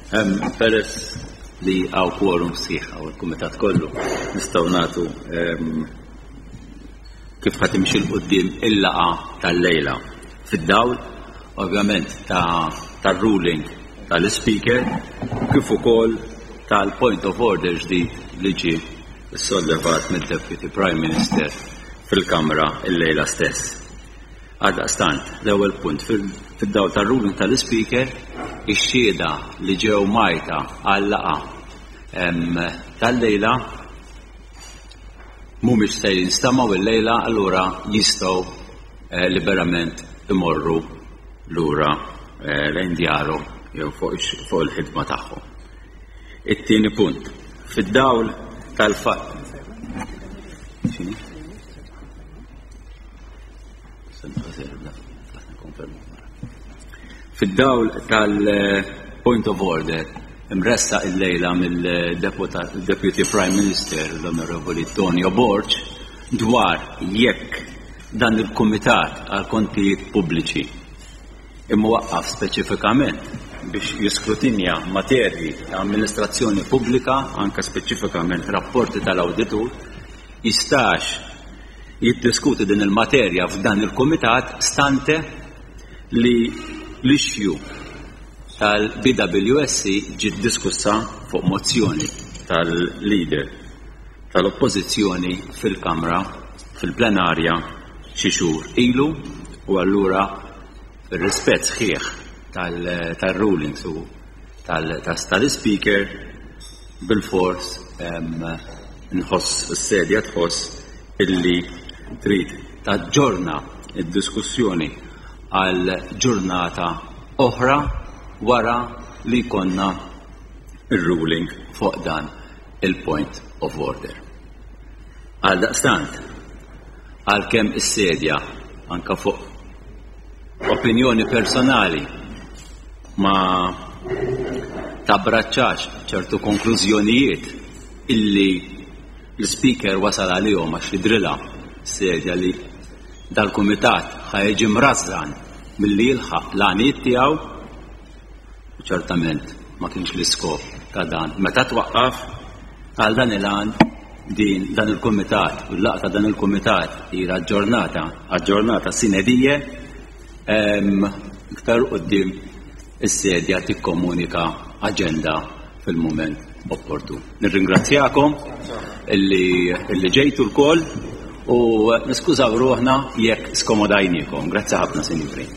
Peress li hawn quorum sħiħ hawn il-kumitat kollu, nistgħu nagħtu kif ħa timxi 'l quddiem il-laqgħa tal-lejla. Fid-dawl, ovvjament, tar-ruling tal-Ispeaker kif ukoll tal-point of order ġdid li ġie ssollevat mid-Deputy Prime Minister fil-Kamra llejla stess. Għaldaqstant, l-ewwel punt, fid-dawl tar-ruling tal-Ispeaker, ix-xhieda li ġew mgħajta għal-laqgħa tal-lejla mhumiex se jinstemgħu illejla allura jistgħu eh, liberament imorru lura eh, lejn djarhom jew fuq il-ħidma tagħhom. It-tieni punt, fid-dawl tal-fatt. Fid-dawl tal-point of order imressaq illejla mill-Deputy Prime Minister l-Onorevoli Tonio Borg dwar jekk dan il-Kumitat għal Kontijiet Pubbliċi imwaqqaf speċifikament biex jiskrutinja materji ta' amministrazzjoni pubblika, anke speċifikament rapporti tal-awditur, jistax jiddiskuti din il-materja f'dan il-kumitat stante li l-issue tal-BWSC ġiet diskussa fuq mozzjoni tal-leader tal-Oppożizzjoni fil-Kamra fil-plenarja xi xhur ilu u allura fir-rispett sħiħ tal-rulings u tal-Ispeaker bilfors nħoss is-sedja tħoss illi trid taġġorna d-diskussjoni għal ġurnata oħra wara li jkollna r-ruling fuq dan il-point of order. Għaldaqstant, għalkemm is-sedja anka fuq opinjoni personali ma tabbraċċax ċertu konklużjonijiet illi l-Speaker wasal għalihom għax jidrilha s-sedja li dal-kumitat ħa jiġi mrażżan milli jilħaq l-għanijiet tiegħu, u ċertament ma kienx l-iskop ta' dan meta twaqqaf, għal dan il-għan din dan il-kumitat u l-laqgħa ta' dan il-kumitat hija aġġornata, aġġornata sine die, iktar quddiem is-sedja tikkomunika aġenda fil-mument opportun. Nirringrazzjakom illi, illi ġejtu lkoll u niskużaw ruħna jekk skomodajniekom. Grazzi ħafna, sinjuri.